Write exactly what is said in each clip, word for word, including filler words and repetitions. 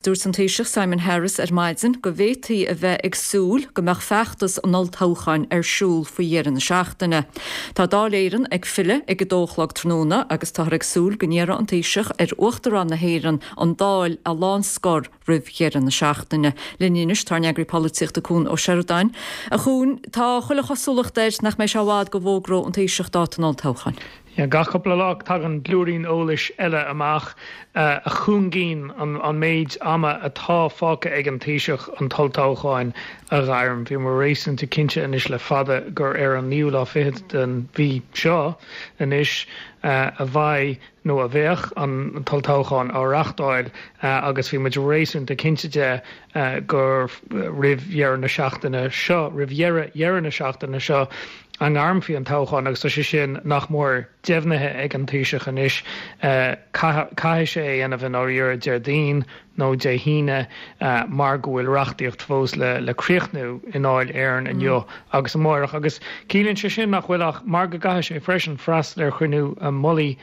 Dúirt an Taoiseach Simon Harris ar maidin go bhféadfaí a bheith ag súil go mbeadh feachtas an olltoghcháin ar siúl faoi dheireadh na seachtaine. Tá Dáil Éireann ag filleadh ag a dó a chlog tráthnóna agus táthar ag súil go n-iarrfaidh an Taoiseach ar Uachtarán na hÉireann an Dáil a lánscor roimh dheireadh na seachtaine. Linn anois tá ár n-eagraí polaitíochta Cuan Ó Seireadáin. A Chuain, tá chuile chosúlacht air nach mbeidh sé i bhfad go bhfógróidh an Taoiseach dáta an olltoghcháin. Gach cúpla lá tagann blúirín eolais eile amach a chúngaíonn an méid ama atá fágtha ag an Taoiseach an t-olltoghchán a ghairm. Bhíomar réasúnta cinnte anois le fada gur ar an naoú lá fichead den mhí seo anois a bheidh nó a bheadh an t-olltoghchán á reáchtáil agus bhí muid réasúnta cinnte de gur roimh dheireadh na seachtaine seo, roimh dheireadh dheireadh na seachtaine seo, a ngairmfí an toghchán agus tá sé sin nach mór deimhnithe ag an Taoiseach anois. Caithfidh sé é a dhéanamh i ndáiríre Déardaoin nó Dé hAoine mar go bhfuil reachtaíocht fós le le críochnú i nDáil Éireann inniu agus amárach agus ciallaíonn sé sin nach bhfuil ach mar go gcaithfidh sé freisin freastal ar chruinniú mullaigh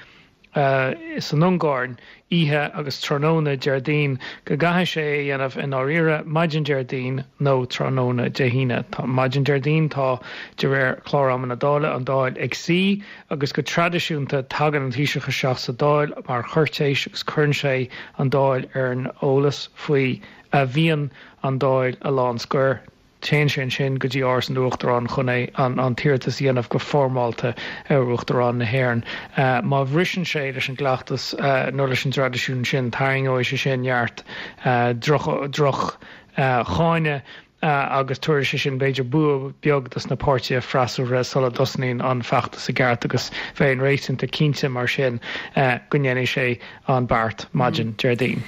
san Ungáir oíche agus tráthnóna Déardaoin go gcaithfidh sé é a dhéanamh i ndáiríre maidin Déardaoin nó tráthnóna Dé hAoine. Maidin Déardaoin tá de réir chlár ama na Dála an Dáil ag suí agus go traidisiúnta tagann an Taoiseach isteach sa Dáil mar chúirtéis agus cuireann sé an Dáil ar an eolas faoi a mhian an Dáil a lánscor. Téann sé ansin go dtí Áras an Uachtaráin chun é an an t-iarratas a dhéanamh go foirmeálta ar Uachtarán na hÉireann. Má bhriseann sé leis an gcleachtas nó leis an dtraidisiún sin, tarraingeoidh sé sin neart droch droch cháineadh agus tabharfaidh sé sin b'fhéidir bua beag dos na páirtithe freasúra sula dtosnaíonn an feachtas i gceart agus bheinn réasúnta cinnte mar sin go ndéanfaidh sé an beart maidin Déardaoin.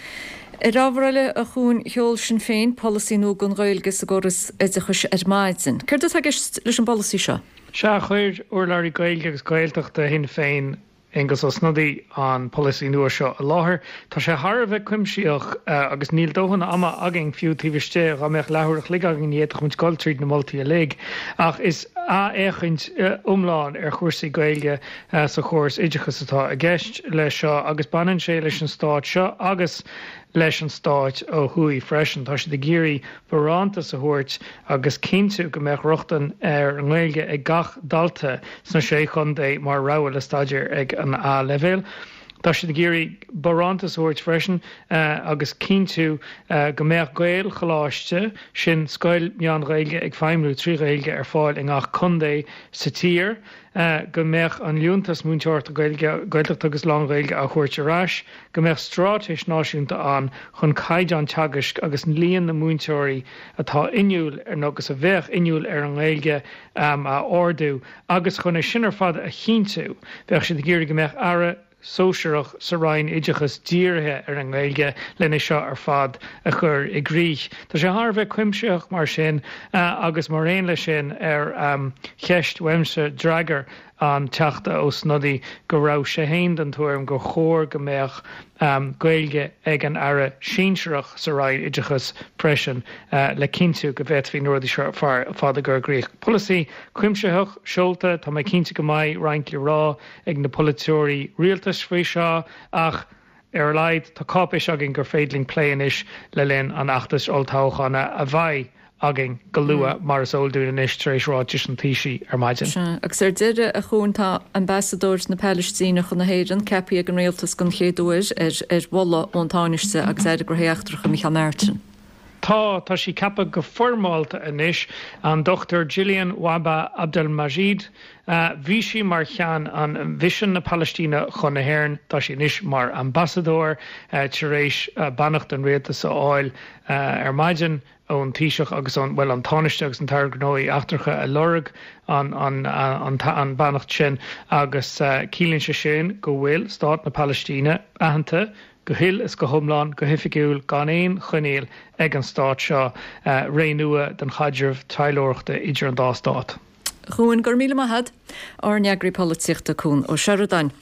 Ar ábhar eile, a Chuain, sheol Sinn Féin polasaí nua don Ghaeilge sa gcóras oideachais ar maidin. Céard atá i gceist leis an bpolasaí seo? Sea, chuir urlabhraí Gaeilge agus Gaeltachta Shinn Féin, Aengus Ó Snodaigh, an polasaí nua seo i láthair. Tá sé thar a bheith cuimsitheach agus níl dóthain ama againn fiú taobh istigh, dá mbeadh leathuair a chloig againn ní fhéadfadh muid dul tríd na moltaí uilig. Ach is athfhéachaint iomlán ar chúrsaí Gaeilge sa chóras oideachais atá i gceist leis seo agus baineann sé leis an stát seo agus leis an stát ó thuaidh freisin. Tá siad ag iarraidh barántas a thabhairt agus cinntiú go mbeadh rochtain ar an nGaeilge ag gach dalta sna Sé Chontae mar rogha le staidéar ag an A-leibhéal. Tá siad ag iarraidh barántas a thabhairt freisin agus cinntiú go mbeadh Gaelcholáiste, sin scoil meán-Ghaeilge ag feidhmiú trí Ghaeilge, ar fáil i ngach contae sa tír, go mbeadh an Liúntas Múinteoireachta Gaeilge, Gaeltachta agus Lán-Ghaeilge á thabhairt ar ais, go mbeadh straitéis náisiúnta ann chun caighdeán teagaisc agus líon na múinteoirí atá inniúil ar agus a bheadh inniúil ar an nGaeilge a ardú agus chun é sin ar fad a chinntiú bheadh siad ag iarraidh go mbeadh aire sóisearach sa Roinn Oideachais dírithe ar an nGaeilge lena seo ar fad a chur i gcrích. Tá sé thar a bheith cuimsitheach mar sin agus mar aon leis sin ar cheist uaimse d'fhreagair an Teachta Ó Snodaigh go raibh sé féin den tuairim gur chóir go mbeadh Gaeilge ag an Aire sinsearach sa Roinn Oideachais freisin le cinntiú go bhféadfaí na rudaí seo ar fad a chur i gcrích. Polasaí cuimsitheach seolta, tá mé cinnte go mbeidh roinnt le rá ag na polaiteoirí rialtais faoi seo ach ar a laghad tá cáipéis againn gur féidir linn plé anois le linn an fheachtais olltoghcháin a bheidh againn go luath mar is eol dúinn anois tar éis ráitis an Taoisigh ar maidin. Sea, agus ar deireadh, a Chuain, tá Ambasadóir na Palaistíne chun na hÉireann ceaptha ag an Rialtas den chéad uair ar ar mholadh ón Tánaiste agus Aire Gnóthaí Eachtracha Micheál Martin. Tá, tá sí ceaptha go foirmeálta anois, an Dochtúir Gillian Wahba Abdelmajid. Bhí sí mar cheann an Mhisean na Palaistíne chun na hÉireann, tá sí anois mar ambasadóir tar éis beannacht an Rialtais a fháil ar maidin ón Taoiseach agus ón, bhuel, an Tánaiste agus an tAire Gnóthaí Eachtracha a lorg an, an, an, an beannacht sin agus ciallaíonn sé sin go bhfuil Stát na Palaistíne aitheanta go huile is go hiomlán, go hoifigiúil, gan aon choinníoll ag an stát seo, ré nua den chaidreamh taidhleoireachta idir an dá stát. A Chuain, go raibh míle maith agat. Ár n-eagraí polaitíochta Cuan Ó Seireadáin.